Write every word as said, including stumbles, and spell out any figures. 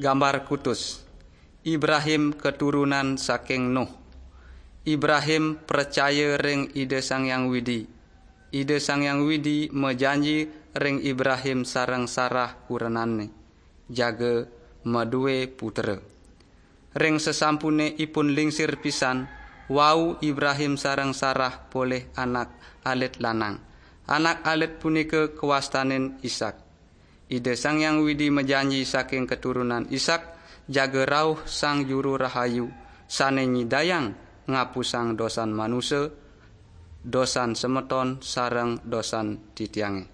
Gambar kutus. Ibrahim keturunan saking Nuh. Ibrahim pracaya ring Ida Sang Hyang Widi. Ida Sang Hyang Widi majanji ring Ibrahim sareng Sarah kurenanne, jaga madue putra. Ring sasampune ipun lingsir pisan, wau Ibrahim sareng Sarah polih anak alit lanang. Anak alit punika kawastanin Ishak. Ida Sang Hyang Widi majanji saking keturunan Ishak jaga rauh Sang Juru Rahayu sane nyidayang ngapusang dosan manusa, dosan semeton sareng dosan titiange.